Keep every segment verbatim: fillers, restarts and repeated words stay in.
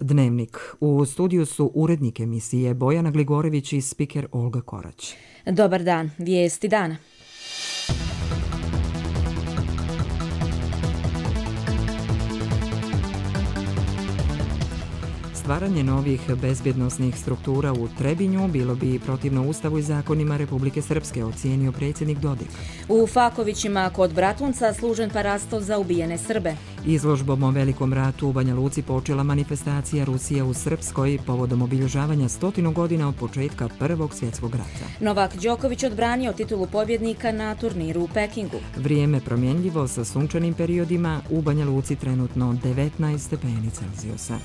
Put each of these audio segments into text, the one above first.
Dnevnik. U studiju su urednik emisije Bojana Gligorević i spiker Olga Korać. Dobar dan, vijesti dana. Stvaranje novih bezbjednosnih struktura u Trebinju bilo bi protivno Ustavu i zakonima Republike Srpske, ocijenio predsjednik Dodik. U Fakovićima kod Bratunca služen parasto za ubijene Srbe. Izložbom o Velikom ratu u Banja Luci počela manifestacija Rusija u Srpskoj povodom obilježavanja stotinu godina od početka Prvog svjetskog rata. Novak Đoković odbranio titulu pobjednika na turniru u Pekingu. Vrijeme promjenljivo sa sunčanim periodima, u Banja Luci trenutno devetnaest stepeni Celzijusa.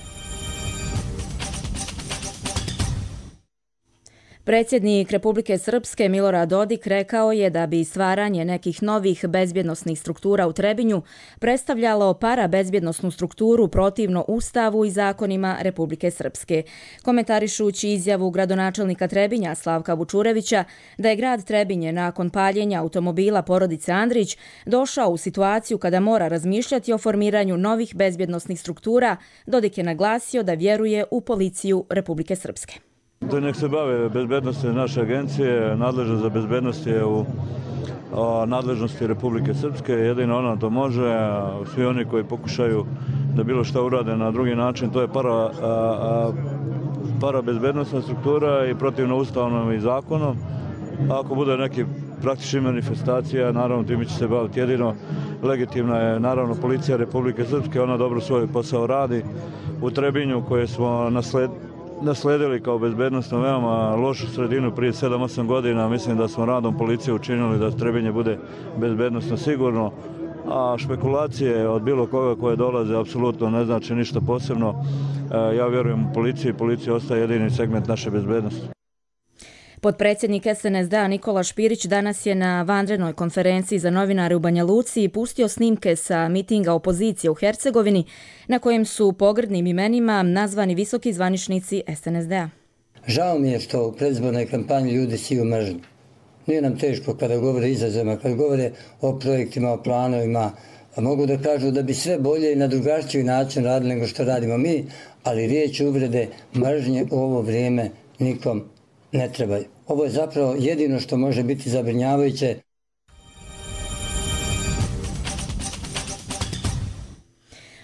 Predsjednik Republike Srpske Milorad Dodik rekao je da bi stvaranje nekih novih bezbjednosnih struktura u Trebinju predstavljalo parabezbjednosnu strukturu protivno Ustavu i zakonima Republike Srpske. Komentarišući izjavu gradonačelnika Trebinja Slavka Vučurevića da je grad Trebinje nakon paljenja automobila porodice Andrić došao u situaciju kada mora razmišljati o formiranju novih bezbjednosnih struktura, Dodik je naglasio da vjeruje u policiju Republike Srpske. Da nek se bave bezbednosti naše agencije, nadležnost za bezbednost je u nadležnosti Republike Srpske, jedino ona to može, svi oni koji pokušaju da bilo šta urade na drugi način, to je para, a, a, para bezbednostna struktura i protivno ustavnom i zakonom. A ako bude neki praktični manifestacija, naravno time će se baviti jedino. Legitimna je naravno policija Republike Srpske, ona dobro svoj posao radi. U Trebinju koje smo nasledili, nasledili kao bezbednostno veoma lošu sredinu prije sedam osam godina. Mislim da smo radom policije učinili da Trebinje bude bezbednostno sigurno, a špekulacije od bilo koga koje dolaze apsolutno ne znači ništa posebno. Ja vjerujem u policiji, policija ostaje jedini segment naše bezbednosti. Potpredsjednik S N S D-a Nikola Špirić danas je na vanrednoj konferenciji za novinare u Banja Luci pustio snimke sa mitinga opozicije u Hercegovini na kojem su pogrdnim imenima nazvani visoki zvaničnici S N S D-a. Žao mi je što u predizbornoj kampanji ljudi siju mržnju. Nije nam teško kada govore izazovima, kada govore o projektima, o planovima. Mogu da kažu da bi sve bolje i na drugačiji način radili nego što radimo mi, ali riječ uvrede, mržnje u ovo vrijeme nikom ne trebaju. Ovo je zapravo jedino što može biti zabrinjavajuće.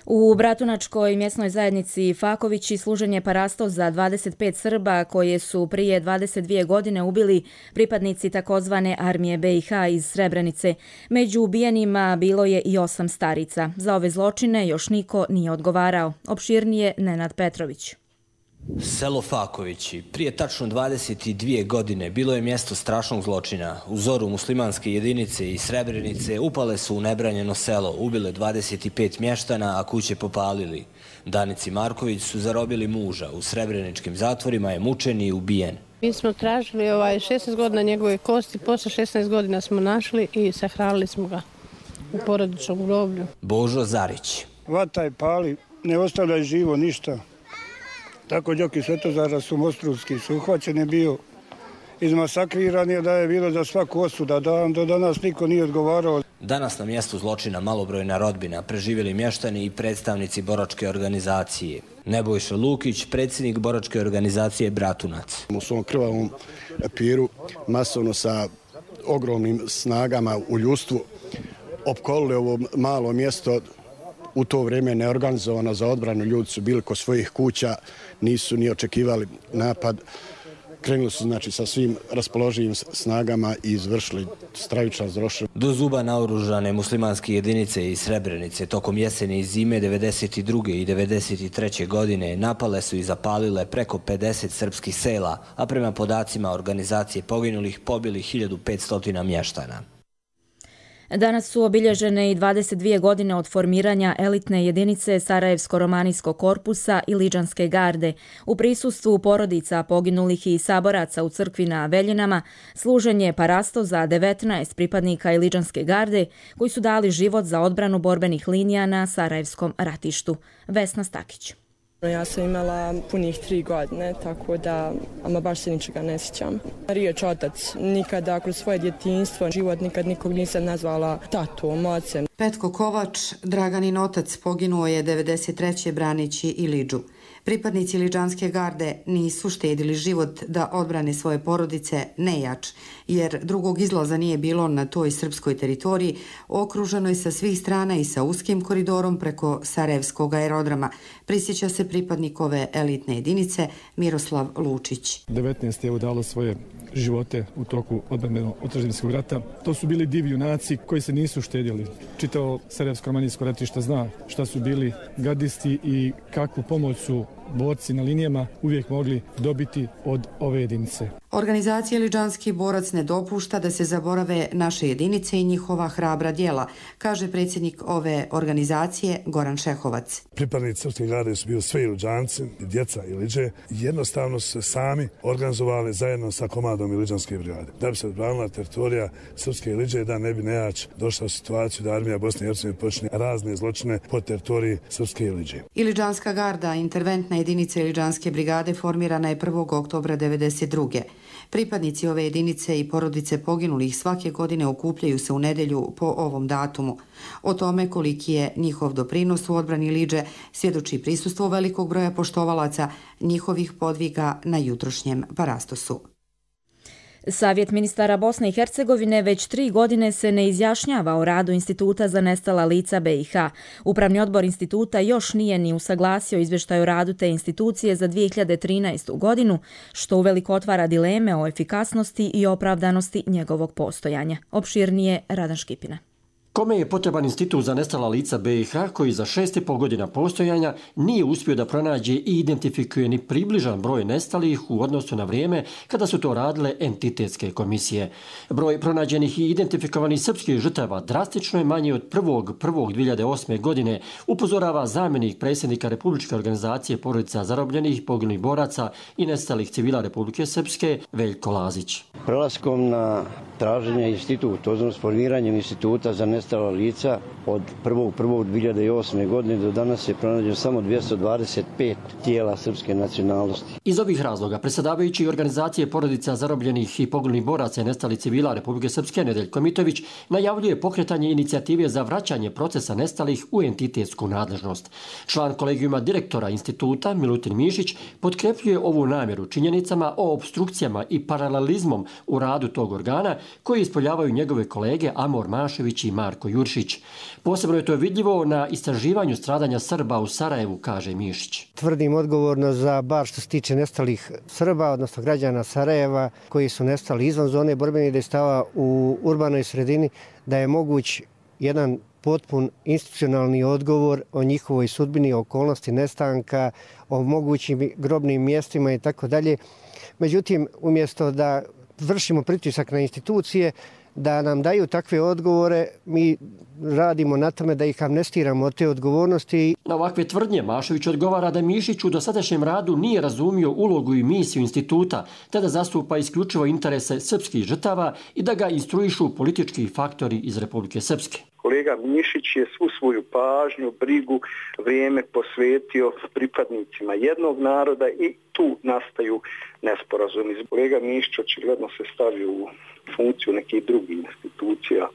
U Bratunačkoj mjesnoj zajednici Fakovići služen je parasto za dvadeset pet Srba koje su prije dvadeset dvije godine ubili pripadnici takozvane armije B i H iz Srebrenice. Među ubijenima bilo je i osam starica. Za ove zločine još niko nije odgovarao. Opširnije Nenad Petrović. Selo Fakovići prije tačno dvadeset dvije godine bilo je mjesto strašnog zločina. U zoru muslimanske jedinice i Srebrenice upale su u nebranjeno selo, ubile dvadeset pet mještana, a kuće popalili. Danici Marković su zarobili muža. U srebreničkim zatvorima je mučen i ubijen. Mi smo tražili ovaj šesnaest godina njegove kosti, posle šesnaest godina smo našli i sahranili smo ga u porodičnom groblju. Božo Zarić. Vataj pali, ne ostavljaj živo ništa. Tako Đoki Svetozara su Mostrovski su uhvaćeni bio, izmasakriran je da je bilo za svaku osuda, da do danas niko nije odgovarao. Danas na mjestu zločina malobrojna rodbina, preživjeli mještani i predstavnici boračke organizacije. Nebojša Lukić, predsjednik boračke organizacije Bratunac. U svom krvavom piru, masovno sa ogromnim snagama u ljudstvu, opkolili ovo malo mjesto, u to vrijeme neorganizovano za odbranu, ljudi su bili kod svojih kuća, nisu ni očekivali napad. Krenuli su znači sa svim raspoloživim snagama i izvršili stravičan zločin. Do zuba naoružane muslimanske jedinice iz Srebrenice tokom jeseni i zime devedeset druge i devedeset treće godine napale su i zapalile preko pedeset srpskih sela, a prema podacima organizacije poginulih pobili hiljadu petsto mještana. Danas su obilježene i dvadeset dvije godine od formiranja elitne jedinice Sarajevsko-romanijskog korpusa i Liđanske garde. U prisustvu porodica poginulih i saboraca u crkvi na Veljinama služen je parasto za devetnaest pripadnika Liđanske garde koji su dali život za odbranu borbenih linija na Sarajevskom ratištu. Vesna Stakić. Ja sam imala punih tri godine, tako da ama baš se ničega ne sjećam. Riječ otac, nikada kroz svoje djetinjstvo, život nikad nikog nisam nazvala tatom, ocem. Petko Kovač, Draganin otac, poginuo je devedeset treće braneći Ilidžu. Pripadnici Iliđanske garde nisu štedili život da odbrane svoje porodice nejač, jer drugog izlaza nije bilo na toj srpskoj teritoriji, okruženoj sa svih strana i sa uskim koridorom preko Sarajevskog aerodroma, prisjeća se pripadnik ove elitne jedinice Miroslav Lučić. devetnaest je udalo svoje živote u toku odbrambeno-otadžbinskog rata. To su bili divi junaci koji se nisu štedjeli. Čitao Sarajevsko-romanijsko ratište zna šta su bili gardisti i kakvu pomoć su borci na linijama uvijek mogli dobiti od ove jedinice. Organizacija Iliđanski borac ne dopušta da se zaborave naše jedinice i njihova hrabra djela, kaže predsjednik ove organizacije Goran Šehovac. Pripadnici srpske garde su bili sve Iliđanci, djeca Iliđe, jednostavno su se sami organizovali zajedno sa komadom Iliđanske brigade. Da bi se odbranila teritorija srpske Iliđe, da ne bi nejač došla u situaciju da armija Bosne i Hercegovine počne razne zločine po teritoriji srpske Iliđe. Iliđanska garda, interventna jedinica Iliđanske brigade, formirana je prvog oktobra devedeset druge Pripadnici ove jedinice i porodice poginulih svake godine okupljaju se u nedjelju po ovom datumu. O tome koliki je njihov doprinos u odbrani Iliđe svjedoči prisustvo velikog broja poštovalaca njihovih podviga na jutrošnjem parastosu. Savjet ministara Bosne i Hercegovine već tri godine se ne izjašnjava o radu Instituta za nestala lica B i H. Upravni odbor instituta još nije ni usaglasio izvještaj o radu te institucije za dvije hiljade trinaestu. godinu, što uveliko otvara dileme o efikasnosti i opravdanosti njegovog postojanja. Opširnije Radan Škipina. Kome je potreban Institut za nestala lica B i H koji za šest i pol godina postojanja nije uspio da pronađe i identifikuje ni približan broj nestalih u odnosu na vrijeme kada su to radile entitetske komisije. Broj pronađenih i identifikovanih srpskih žrtava drastično je manji od prvog prvog dvije hiljade osme. godine, upozorava zamjenik predsjednika Republičke organizacije porodica zarobljenih, poginulih boraca i nestalih civila Republike Srpske Veljko Lazić. Prelaskom na traženje instituta, odnosno formiranjem instituta za nestala lica od prvog prvog dvije hiljade osme. godine do danas je pronađeno samo dvjesto dvadeset pet tijela srpske nacionalnosti. Iz ovih razloga predsjedavajući organizacije porodica zarobljenih i poginulih boraca i nestalih civila Republike Srpske Nedeljko Mitović najavljuje pokretanje inicijative za vraćanje procesa nestalih u entitetsku nadležnost. Član kolegijuma direktora instituta Milutin Mišić potkrepljuje ovu namjeru činjenicama o opstrukcijama i paralelizmom u radu tog organa koji ispoljavaju njegove kolege Amor Mašević i Marko Juršić. Posebno je to vidljivo na istraživanju stradanja Srba u Sarajevu, kaže Mišić. Tvrdim odgovorno za bar što se tiče nestalih Srba, odnosno građana Sarajeva koji su nestali izvan zone borbenih dejstava u urbanoj sredini, da je moguć jedan potpun institucionalni odgovor o njihovoj sudbini, o okolnosti nestanka, o mogućim grobnim mjestima i tako dalje. Međutim, umjesto da vršimo pritisak na institucije da nam daju takve odgovore, mi radimo na tome da ih amnestiramo od te odgovornosti. Na ovakve tvrdnje Mašević odgovara da Mišić u dosadašnjem radu nije razumio ulogu i misiju instituta, te da zastupa isključivo interese srpskih žrtava i da ga instruišu politički faktori iz Republike Srpske. Kolega Mišić je svu svoju pažnju, brigu, vrijeme posvetio pripadnicima jednog naroda i tu nastaju nesporazumi. Kolega Mišić očigledno se stavio u funkciju nekih drugih institucija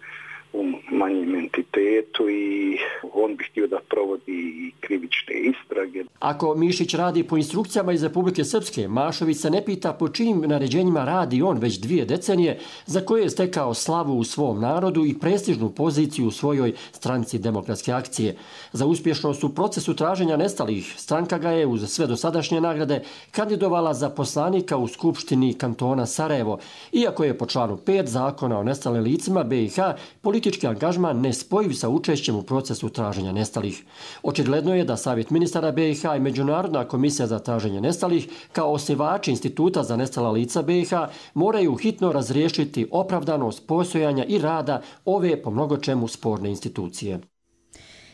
u manjem entitetu i on bi htio da provodi krivične istrage. Ako Mišić radi po instrukcijama iz Republike Srpske, Mašović se ne pita po čijim naređenjima radi on već dvije decenije, za koje je stekao slavu u svom narodu i prestižnu poziciju u svojoj stranci Demokratske akcije. Za uspješnost u procesu traženja nestalih stranka ga je uz sve dosadašnje nagrade kandidovala za poslanika u Skupštini kantona Sarajevo, iako je po članu pet Zakona o nestalim licima B i H politički angažman nespojiv sa učešćem u procesu traženja nestalih. Očigledno je da Savjet ministara B i H i Međunarodna komisija za traženje nestalih kao osnivači Instituta za nestala lica B i H moraju hitno razriješiti opravdanost postojanja i rada ove po mnogočemu sporne institucije.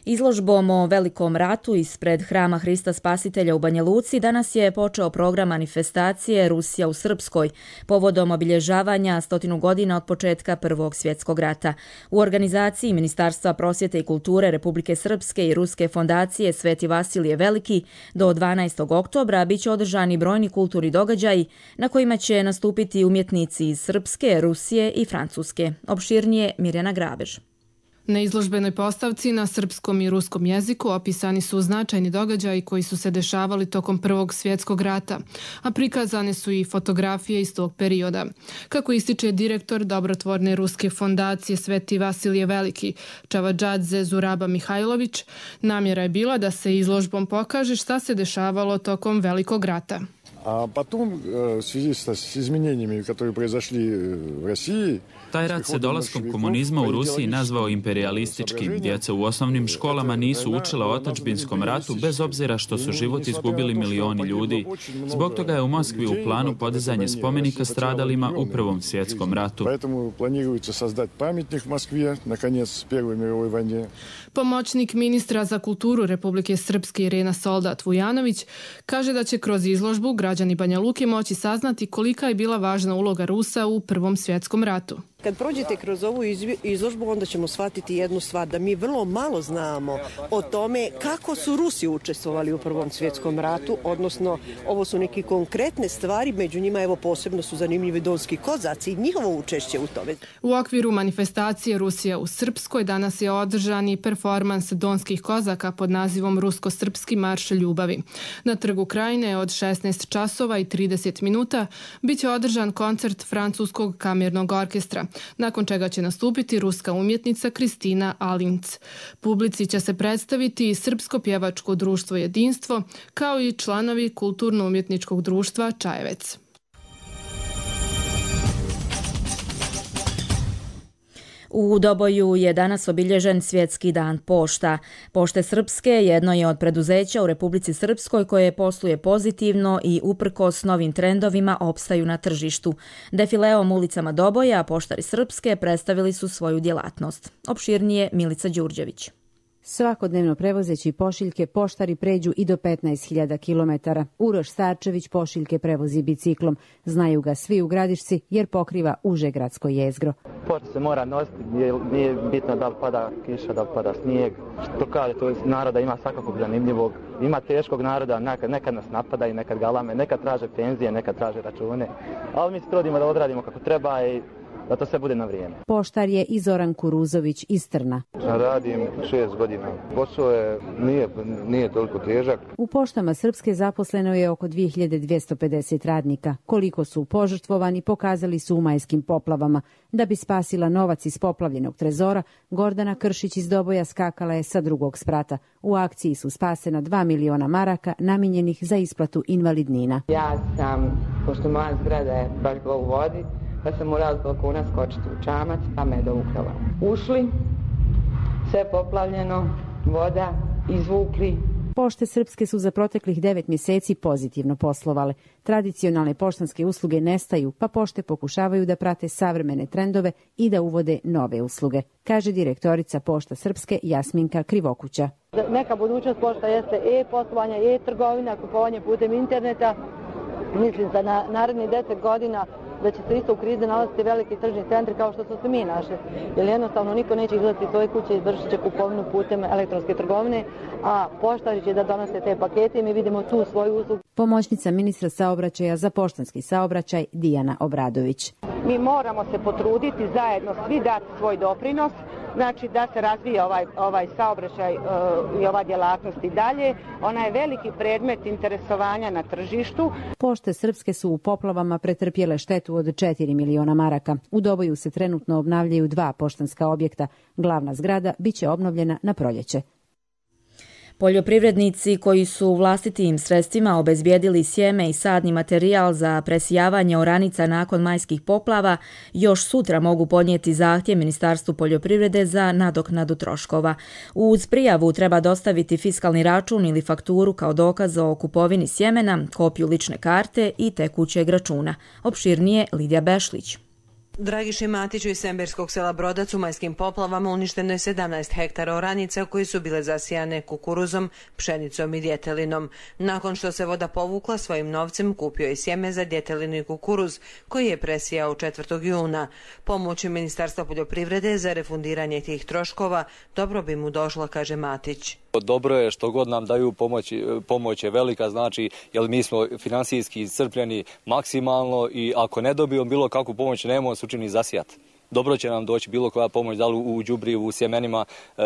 Izložbom o Velikom ratu ispred Hrama Hrista Spasitelja u Banja Luci danas je počeo program manifestacije Rusija u Srpskoj povodom obilježavanja stotinu godina od početka Prvog svjetskog rata. U organizaciji Ministarstva prosvjete i kulture Republike Srpske i Ruske fondacije Sveti Vasilije Veliki do dvanaestog oktobra biće održani brojni kulturni događaji na kojima će nastupiti umjetnici iz Srpske, Rusije i Francuske. Opširnije Mirjana Grabež. Na izložbenoj postavci na srpskom i ruskom jeziku opisani su značajni događaji koji su se dešavali tokom Prvog svjetskog rata, a prikazane su i fotografije iz tog perioda. Kako ističe direktor dobrotvorne ruske fondacije Sveti Vasilije Veliki, Čavadžadze Zuraba Mihajlović, namjera je bila da se izložbom pokaže šta se dešavalo tokom Velikog rata. A potom, v svezi s izmenjenjima, koje proizašli u Rusiji, taj rat se dolaskom komunizma u Rusiji nazvao imperialističkim. Djeca u osnovnim školama nisu učila o otadžbinskom ratu bez obzira što su život izgubili milioni ljudi. Zbog toga je u Moskvi u planu podizanje spomenika stradalima u Prvom svjetskom ratu. Поэтому планируется создать памятник в Москве на конец Первой мировой войны. Pomoćnik ministra za kulturu Republike Srpske Irena Soldat Vujanović kaže da će kroz izložbu građani Banja Luke moći saznati kolika je bila važna uloga Rusa u Prvom svjetskom ratu. Kad prođete kroz ovu izložbu, onda ćemo shvatiti jednu stvar, da mi vrlo malo znamo o tome kako su Rusi učestvovali u Prvom svjetskom ratu, odnosno ovo su neke konkretne stvari, među njima evo posebno su zanimljivi donski kozaci i njihovo učešće u tome. U okviru manifestacije Rusija u Srpskoj danas je održan i performans donskih kozaka pod nazivom Rusko-srpski marš ljubavi. Na Trgu Krajine od šesnaest časova i trideset minuta bit će održan koncert Francuskog kamernog orkestra, nakon čega će nastupiti ruska umjetnica Kristina Alinc. Publici će se predstaviti i Srpsko pjevačko društvo Jedinstvo, kao i članovi Kulturno-umjetničkog društva Čajevec. U Doboju je danas obilježen Svjetski dan pošta. Pošte Srpske jedno je od preduzeća u Republici Srpskoj koje posluje pozitivno i uprkos novim trendovima opstaju na tržištu. Defileom ulicama Doboja poštari Srpske predstavili su svoju djelatnost. Opširnije Milica Đurđević. Svakodnevno prevozeći pošiljke poštari pređu i do petnaest hiljada kilometara. Uroš Starčević pošiljke prevozi biciklom. Znaju ga svi u Gradišci jer pokriva uže gradsko jezgro. Pošta se mora nositi, nije bitno da li pada kiša, da li pada snijeg. Što kaže, to naroda ima svakakog zanimljivog. Ima teškog naroda, nekad, nekad nas napada i nekad galame, nekad traže penzije, nekad traže račune. Ali mi se trudimo da odradimo kako treba i da to sve bude na vrijeme. Poštar je i Zoran Kuruzović iz Trna. Radim šest godina. Posao je, nije, nije toliko težak. U poštama Srpske zaposleno je oko dvije hiljade dvjesto pedeset radnika. Koliko su požrtvovani pokazali su u majskim poplavama. Da bi spasila novac iz poplavljenog trezora, Gordana Kršić iz Doboja skakala je sa drugog sprata. U akciji su spasena dva miliona maraka namijenjenih za isplatu invalidnina. Ja sam, pošto moja zgrada je baš bila u vodi, pa sam morala s balkona skočiti u čamac, pa me je dovukala. Ušli, sve poplavljeno, voda, izvukli. Pošte Srpske su za proteklih devet mjeseci pozitivno poslovale. Tradicionalne poštanske usluge nestaju, pa pošte pokušavaju da prate savremene trendove i da uvode nove usluge, kaže direktorica Pošta Srpske Jasminka Krivokuća. Neka budućnost pošta jeste e-poslovanje, e-trgovina, kupovanje putem interneta. Mislim da na narednih deset godina da će se isto u krizi nalaziti veliki tržni centri kao što su se mi našli. Jer jednostavno niko neće izlaziti iz svoje kuće i izvršit će kupovinu putem elektronske trgovine, a poštari će da donose te pakete i mi vidimo tu svoju uslugu. Pomoćnica ministra saobraćaja za poštanski saobraćaj Dijana Obradović. Mi moramo se potruditi zajedno svi dati svoj doprinos, znači da se razvija ovaj, ovaj saobraćaj uh, i ova djelatnost i dalje. Ona je veliki predmet interesovanja na tržištu. Pošte Srpske su u poplavama pretrpjele štetu od četiri miliona maraka. U Doboju se trenutno obnavljaju dva poštanska objekta. Glavna zgrada biće obnovljena na proljeće. Poljoprivrednici koji su vlastitim sredstvima obezbijedili sjeme i sadni materijal za presijavanje oranica nakon majskih poplava još sutra mogu podnijeti zahtjev Ministarstvu poljoprivrede za nadoknadu troškova. Uz prijavu treba dostaviti fiskalni račun ili fakturu kao dokaz o kupovini sjemena, kopiju lične karte i tekućeg računa. Opširnije Lidija Bešlić. Dragiši Matiću iz Semberskog sela Brodac u majskim poplavama uništeno je sedamnaest hektara oranica koje su bile zasijane kukuruzom, pšenicom i djetelinom. Nakon što se voda povukla, svojim novcem kupio je sjeme za djetelinu i kukuruz koji je presijao četvrtog juna. Pomoć Ministarstva poljoprivrede za refundiranje tih troškova dobro bi mu došla, kaže Matić. Dobro je što god nam daju pomoć, pomoć je velika, znači jer mi smo finansijski iscrpljeni maksimalno i ako ne dobijemo bilo kakvu pomoć, nemamo se učini zasijati. dobro će nam doći bilo koja pomoć, da li u đubrivu, u sjemenima,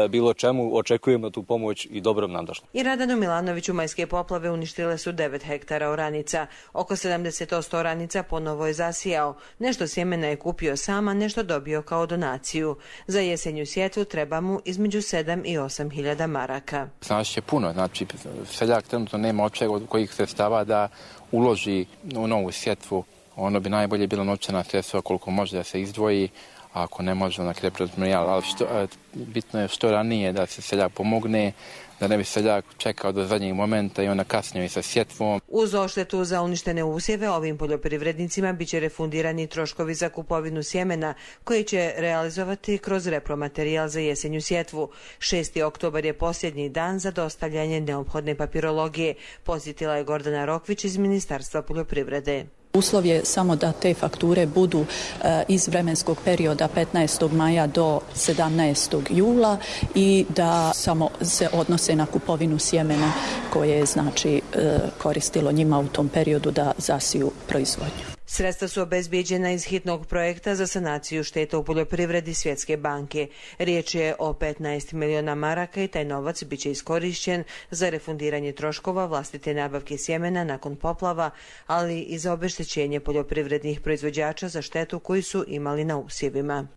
bilo čemu, očekujemo tu pomoć i dobro nam došla. I Radanu Milanoviću majske poplave uništile su devet hektara oranica. Oko sedamdeset posto oranica ponovo je zasijao. Nešto sjemena je kupio sama, nešto dobio kao donaciju. Za jesenju sjetvu treba mu između sedam i osam hiljada maraka. Znači će puno, znači seljak trenutno nema općeg od kojih sredstava da uloži u novu sjetvu. Ono bi najbolje bilo novčana sredstva koliko može da se izdvoji, a ako ne može na repromaterijal. Ali što, bitno je što ranije da se seljak pomogne, da ne bi seljak čekao do zadnjeg momenta i onda kasnije sa sjetvom. Uz odštetu za uništene usjeve ovim poljoprivrednicima biće refundirani troškovi za kupovinu sjemena koji će realizovati kroz repromaterijal za jesenju sjetvu. šesti oktobar je posljednji dan za dostavljanje neophodne papirologije, podsjetila je Gordana Rokvić iz Ministarstva poljoprivrede. Uslov je samo da te fakture budu e, iz vremenskog perioda petnaestog maja do sedamnaestog jula i da samo se odnose na kupovinu sjemena koje je znači e, koristilo njima u tom periodu da zasiju proizvodnju. Sredstva su obezbijeđena iz hitnog projekta za sanaciju šteta u poljoprivredi Svjetske banke. Riječ je o petnaest miliona maraka i taj novac biće iskorišćen za refundiranje troškova vlastite nabavke sjemena nakon poplava, ali i za obeštećenje poljoprivrednih proizvođača za štetu koju su imali na usjevima.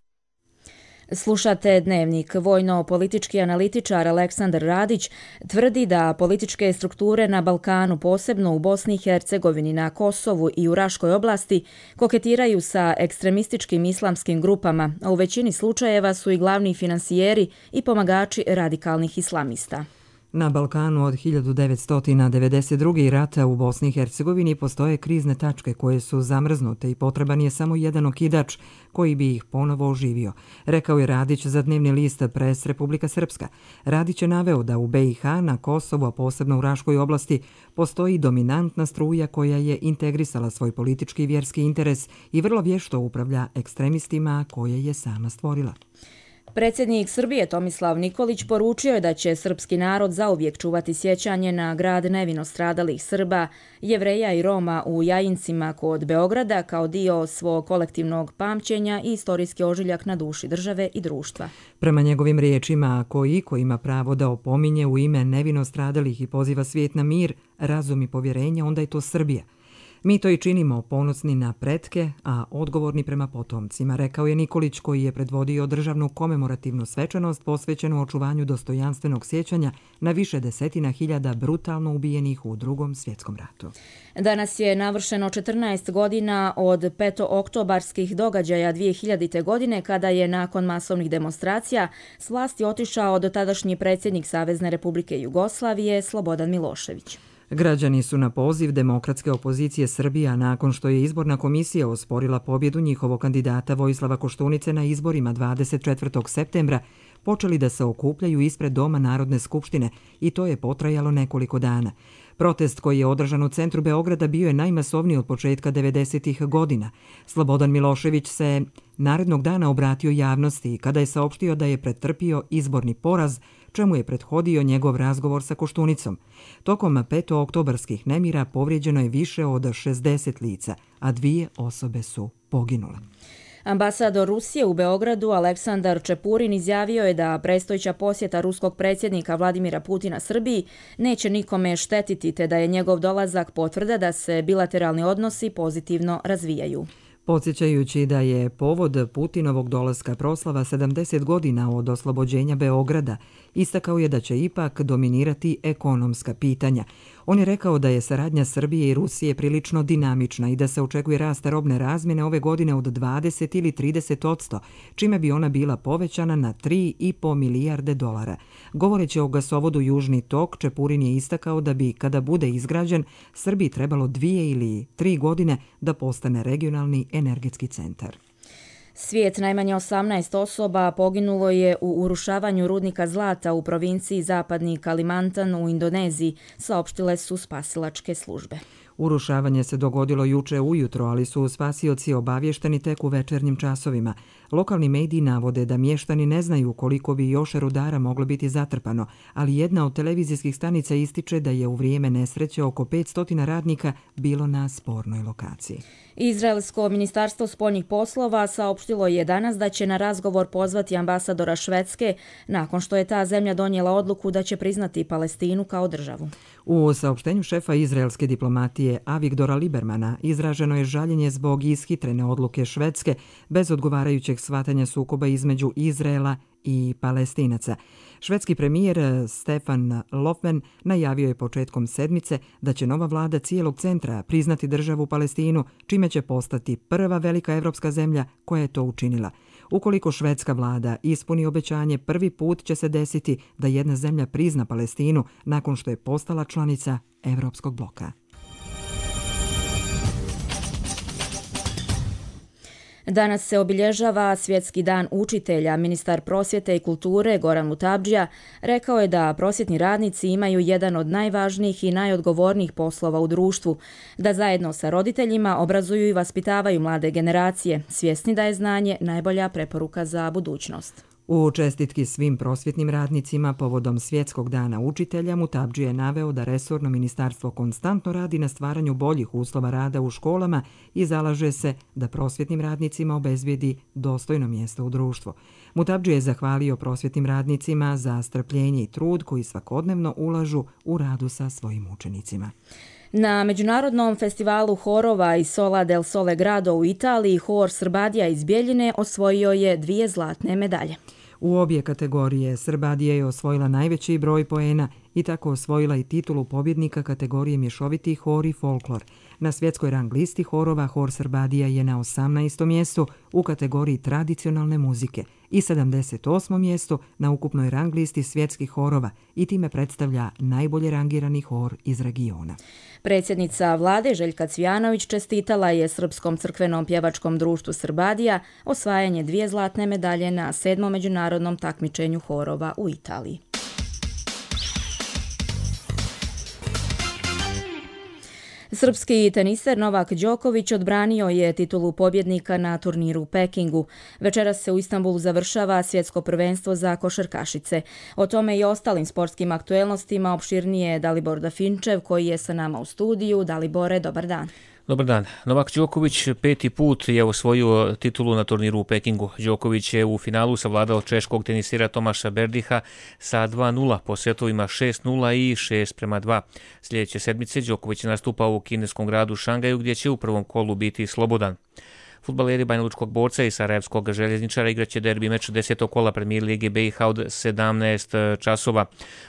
Slušate Dnevnik. Vojno-politički analitičar Aleksandar Radić tvrdi da političke strukture na Balkanu, posebno u Bosni i Hercegovini, na Kosovu i u Raškoj oblasti, koketiraju sa ekstremističkim islamskim grupama, a u većini slučajeva su i glavni finansijeri i pomagači radikalnih islamista. Na Balkanu od hiljadu devetsto devedeset druge. i rata u Bosni i Hercegovini postoje krizne tačke koje su zamrznute i potreban je samo jedan okidač koji bi ih ponovo oživio, rekao je Radić za dnevni list Pres Republika Srpska. Radić je naveo da u be i ha, na Kosovu, a posebno u Raškoj oblasti, postoji dominantna struja koja je integrisala svoj politički i vjerski interes i vrlo vješto upravlja ekstremistima koje je sama stvorila. Predsjednik Srbije Tomislav Nikolić poručio je da će srpski narod zauvijek čuvati sjećanje na grad nevino stradalih Srba, Jevreja i Roma u Jajincima kod Beograda kao dio svog kolektivnog pamćenja i istorijski ožiljak na duši države i društva. Prema njegovim riječima, ako iko ima pravo da opominje u ime nevino stradalih i poziva svijet na mir, razum i povjerenje, onda je to Srbija. Mi to i činimo ponosni na pretke, a odgovorni prema potomcima, rekao je Nikolić koji je predvodio državnu komemorativnu svečanost posvećenu očuvanju dostojanstvenog sjećanja na više desetina hiljada brutalno ubijenih u Drugom svjetskom ratu. Danas je navršeno četrnaest godina od petooktobarskih događaja dvije hiljadite. godine kada je nakon masovnih demonstracija s vlasti otišao dotadašnji predsjednik Savezne Republike Jugoslavije Slobodan Milošević. Građani su na poziv demokratske opozicije Srbija, nakon što je izborna komisija osporila pobjedu njihovog kandidata Vojislava Koštunice na izborima dvadeset četvrtog septembra, počeli da se okupljaju ispred Doma Narodne skupštine i to je potrajalo nekoliko dana. Protest koji je održan u centru Beograda bio je najmasovniji od početka devedesetih. godina. Slobodan Milošević se narednog dana obratio javnosti kada je saopštio da je pretrpio izborni poraz, čemu je prethodio njegov razgovor sa Koštunicom. Tokom petooktobarskih nemira povrijeđeno je više od šezdeset lica, a dvije osobe su poginule. Ambasador Rusije u Beogradu Aleksandar Čepurin izjavio je da predstojeća posjeta ruskog predsjednika Vladimira Putina Srbiji neće nikome štetiti, te da je njegov dolazak potvrda da se bilateralni odnosi pozitivno razvijaju. Podsjećajući da je povod Putinovog dolaska proslava sedamdeset godina od oslobođenja Beograda, istakao je da će ipak dominirati ekonomska pitanja. On je rekao da je saradnja Srbije i Rusije prilično dinamična i da se očekuje rast robne razmjene ove godine od dvadeset ili trideset odsto, čime bi ona bila povećana na tri i po milijarde dolara. Govoreći o gasovodu Južni tok, Čepurin je istakao da bi, kada bude izgrađen, Srbiji trebalo dvije ili tri godine da postane regionalni energetski centar. Svijet, najmanje osamnaest osoba poginulo je u urušavanju rudnika zlata u provinciji Zapadni Kalimantan u Indoneziji, saopštile su spasilačke službe. Urušavanje se dogodilo juče ujutro, ali su spasioci obavješteni tek u večernjim časovima. Lokalni mediji navode da mještani ne znaju koliko bi još rudara moglo biti zatrpano, ali jedna od televizijskih stanica ističe da je u vrijeme nesreće oko petsto radnika bilo na spornoj lokaciji. Izraelsko ministarstvo spoljnih poslova saopštilo saopštilo je danas da će na razgovor pozvati ambasadora Švedske nakon što je ta zemlja donijela odluku da će priznati Palestinu kao državu. U saopštenju šefa izraelske diplomatije Avigdora Libermana izraženo je žaljenje zbog ishitrene odluke Švedske bez odgovarajućeg shvatanja sukoba između Izraela i Palestinaca. Švedski premijer Stefan Löfven najavio je početkom sedmice da će nova vlada cijelog centra priznati državu Palestinu, čime će postati prva velika evropska zemlja koja je to učinila. Ukoliko švedska vlada ispuni obećanje, prvi put će se desiti da jedna zemlja prizna Palestinu nakon što je postala članica Evropskog bloka. Danas se obilježava Svjetski dan učitelja. Ministar prosvjete i kulture Goran Mutabdžija rekao je da prosvjetni radnici imaju jedan od najvažnijih i najodgovornijih poslova u društvu, da zajedno sa roditeljima obrazuju i vaspitavaju mlade generacije, svjesni da je znanje najbolja preporuka za budućnost. U čestitki svim prosvjetnim radnicima povodom Svjetskog dana učitelja, Mutabdžija je naveo da resorno ministarstvo konstantno radi na stvaranju boljih uslova rada u školama i zalaže se da prosvjetnim radnicima obezbijedi dostojno mjesto u društvu. Mutabdžija je zahvalio prosvjetnim radnicima za strpljenje i trud koji svakodnevno ulažu u radu sa svojim učenicima. Na Međunarodnom festivalu horova iz Sola del Sole Grado u Italiji, hor Srbadija iz Bjeljine osvojio je dvije zlatne medalje. U obje kategorije Srbadija je osvojila najveći broj poena i tako osvojila i titulu pobjednika kategorije mješoviti hor i folklor. Na svjetskoj rang listi horova hor Srbadija je na osamnaestom mjestu u kategoriji tradicionalne muzike i sedamdeset osmom mjestu na ukupnoj rang listi svjetskih horova i time predstavlja najbolje rangirani hor iz regiona. Predsjednica vlade Željka Cvijanović čestitala je Srpskom crkvenom pjevačkom društvu Srbadija osvajanje dvije zlatne medalje na sedmom međunarodnom takmičenju horova u Italiji. Srpski teniser Novak Đoković odbranio je titulu pobjednika na turniru u Pekingu. Večeras se u Istanbulu završava svjetsko prvenstvo za košarkašice. O tome i ostalim sportskim aktuelnostima opširnije Dalibor Dafinčev koji je sa nama u studiju. Dalibore, dobar dan. Dobar dan. Novak Đoković peti put je osvojio titulu na turniru u Pekingu. Đoković je u finalu savladao češkog tenisira Tomaša Berdiha sa dva nula po setovima šest nula i šest prema dva. Sljedeće sedmice Đoković nastupa u kineskom gradu Šangaju gdje će u prvom kolu biti slobodan. Fudbaleri Banjalučkog Borca i Sarajevskog Željezničara igraće derbi meč desetog kola Premier Lige B i H od sedamnaest časova.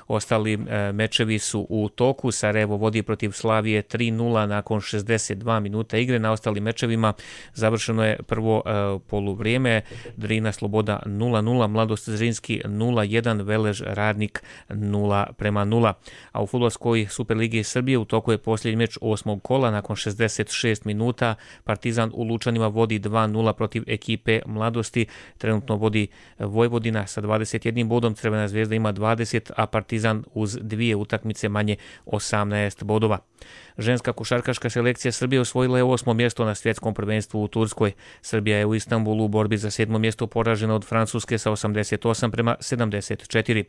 Ostali mečevi su u toku. Sarajevo vodi protiv Slavije tri nula nakon šezdeset dva minuta igre. Na ostalim mečevima završeno je prvo poluvrijeme. Drina Sloboda nula nula, Mladost Zrinski nula jedan, Velež Radnik nula prema nula. A u fudbalskoj Superligi Srbije u toku je posljednji meč osmog kola. Nakon šezdeset šest minuta Partizan u Lučanima vodi dva nula protiv ekipe Mladosti. Trenutno vodi Vojvodina sa dvadeset jednim bodom, Crvena zvezda ima dvadeset, a Partizan uz dvije utakmice manje osamnaest bodova. Ženska košarkaška selekcija Srbije osvojila je osmo mjesto na svjetskom prvenstvu u Turskoj. Srbija je u Istanbulu u borbi za sedmo mjesto poražena od Francuske sa osamdeset osam prema sedamdeset četiri.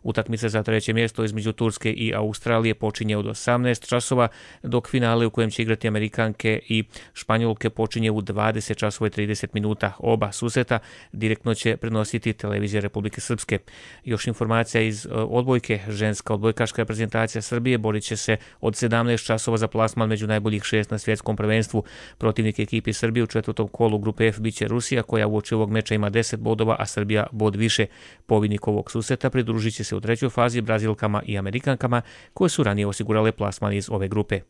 Utakmica za treće mjesto između Turske i Australije počinje od osamnaest časova, dok finale u kojem će igrati Amerikanke i Španjolke počinje u dvadeset časova i trideset minuta. Oba susreta direktno će prenositi televizija Republike Srpske. Još informacija iz odbojke. Ženska odbojkaška reprezentacija Srbije borit će se od sedamnaest časova za plasman među najboljih šest na svjetskom prvenstvu. Protivnik ekipi Srbije u četvrtom kolu grupe F biće Rusija, koja uoči ovog meča ima deset bodova, a Srbija bod više. Pobjednik ovog susreta pridružit će se u trećoj fazi Brazilkama i Amerikankama, koje su ranije osigurale plasman iz ove grupe.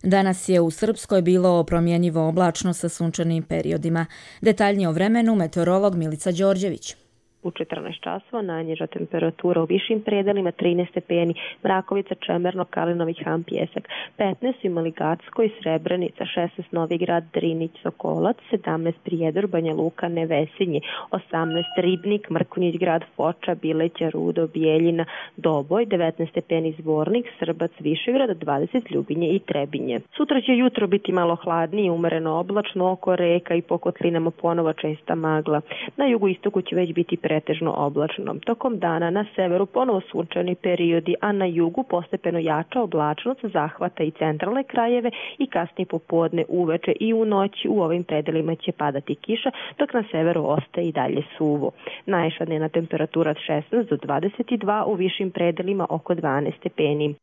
Danas je u Srpskoj bilo promjenjivo oblačno sa sunčanim periodima. Detaljnije o vremenu meteorolog Milica Đorđević. U četrnaest časova najniža temperatura u višim predelima trinaest stepeni, Mrakovica, Čemerno, Kalinović, Han, Pjesak, petnaest imali Gacko i Srebrenica, šesnaest Novigrad, Drinić, Sokolac, sedamnaest Prijedor, Banja Luka, Nevesinje, osamnaest Ribnik, Mrkonjić Grad, Foča, Bileća, Rudo, Bijeljina, Doboj, devetnaest stepeni Zvornik, Srbac, Višegrad, dvadeset Ljubinje i Trebinje. Sutra će jutro biti malo hladnije, umereno oblačno, oko reka i po kotlinama ponovo česta magla. Na jugu istoku će već biti pretežno oblačno. Tokom dana na severu ponovo sunčani periodi, a na jugu postepeno jača oblačnost zahvata i centralne krajeve i kasnije popodne, uveče i u noći u ovim predelima će padati kiša, dok na severu ostaje i dalje suvo. Najviša dnevna temperatura od šesnaest do dvadeset dva, u višim predelima oko dvanaest stepeni.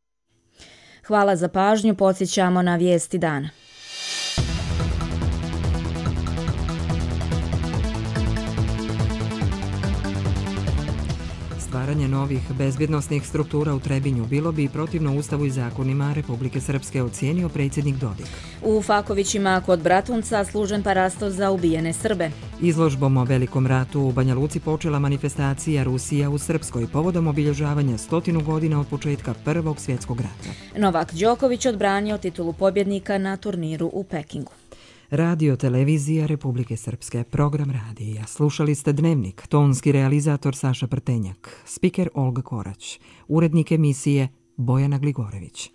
Hvala za pažnju, podsjećamo na vijesti dana. Stvaranje novih bezbjednosnih struktura u Trebinju bilo bi protivno Ustavu i zakonima Republike Srpske, ocijenio predsjednik Dodik. U Fakovićima kod Bratunca služen parasto za ubijene Srbe. Izložbom o Velikom ratu u Banja Luci počela manifestacija Rusija u Srpskoj povodom obilježavanja stotinu godina od početka Prvog svjetskog rata. Novak Đoković odbranio titulu pobjednika na turniru u Pekingu. Radio Televizija Republike Srpske, program radija. Slušali ste Dnevnik, tonski realizator Saša Prtenjak, spiker Olga Korać, urednik emisije Bojana Gligorević.